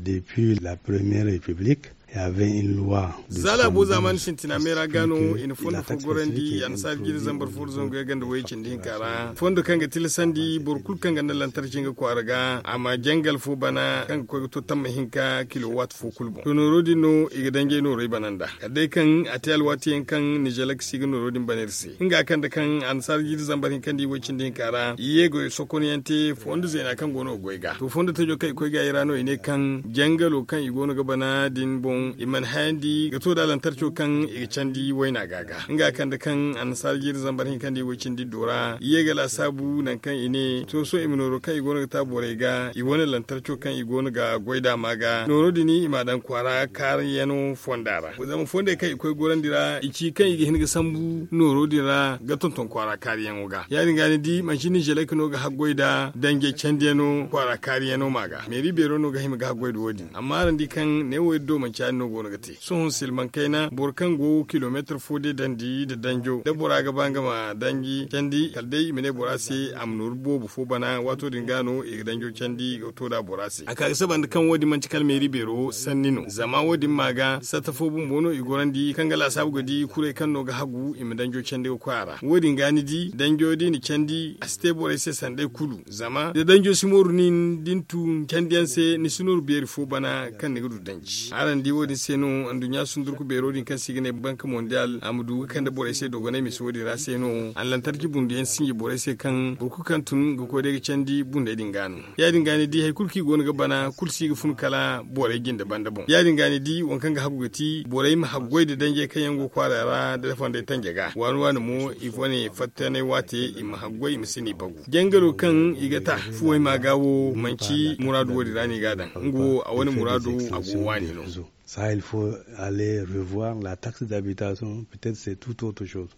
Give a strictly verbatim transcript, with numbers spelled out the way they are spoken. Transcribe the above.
Depuis la première république, il y avait une loi. Za laabo zaamaani sintina meera ga no i na fondo fo gorandi annasaara jiiri zambar fo da zangu yagga nda way cindi hinka ra. Fondo kaŋ ga tilasandi boro kulu kaŋ ga nda lantarki nga kwaara ga a ma jangal fo bana kaŋ ga koy ga to tamma hinka kilowaat fo kulu boŋ to nooro din no i ga danjey noorey bana nda kala day kaŋ a te alwaati yaŋ kaŋ nizelek si ga nooro din bana iri se nga kande kaŋ annasaara jiiri zambar hinka nda i way cindi hinka ra i ye ga sokonyaŋ te fondo zeena kaŋ go no ga goy ga to fondo tajo kaŋ i koy ga i ra no i ne kaŋ jangalo kaŋ i go no ga bana din boŋ i mana hayandi ga to da lantarco kaŋ i ga candi wayna ga ga nga kande kaŋ annasaara jiiri zambar hinka nda i way cindi do ra i ye ga laasaabu nangu kaŋ i ne to sohõ i ma nooro kaŋ i go no ga ta borey ga i wane lantarco kaŋ i go no ga goy da ma ga nooro din i ma a daŋ kwaara kaariyano fonda ra zama fondey kaŋ i koy gorandi ra i ci kaŋ i ga hin ga sambu nooro din ra ga tonton kwaara kaariyaŋo ga ya- din ga ni di manci nizelek no ga haggoy nda danjey candiyano kwaara kaariyaŋo ma ga meeri beero no ga hima ga haggoy nda wo- din amma araŋ di kaŋ neewo iri do manci ya- din no go no ga te sohõ silmaŋ kayna boro kaŋ go kilomeetir fo day dandi nda danjo da bora ga ba nga ma danji candi kala day i ma ne bora se a ma nooru boobo fo bana waato din ga no i ga danjo candi ga to nd'a bora se a ka ga saba nda kaŋ wo- din manti kala meeri beero sanni no zama wo- din ma ga satta fo bumbo no i gorandi kaŋ ga laasaabu ga di kuray kaŋ no ga hagu i ma danjo candi ga koy a ra wo- din ga ni di danjo da i na candi a si te borey se sanday kulu zama da danjo si mooru nin da ni tun candiyaŋ se ni si nooru beeri fo bana kaŋ ni ga du danji araŋ di wo- din se no anduɲɲa sundurku beero din kaŋ se i ga ne banka mondial a ma du ga kande borey se dogonay mise wo- din ra se no a na lantarki bunduyaŋ sinji borey se kaŋ boro kulu kaŋ tun ga koy day ga candi bundey din ga no ya- din ga ni di hari kulu kaŋ i go no ga bana kulu si ga fun kala borey jinde banda boŋ ya- din ga ni di waŋ kaŋ ga hagu ga ti borey ma haggoy nda danjey kaŋ yaŋ go kwaara ra nda fondey tanje ga waani waani mo i wane fattanay waate i ma haggoy i ma si no i bagu jangaro kaŋ i ga ta fuwey ma ga wo manci muraadu wo- din ra no i ga a daŋ nga wo a wane muraado a go waani no ça il faut aller revoir la taxe d'habitation, peut-être c'est tout autre chose.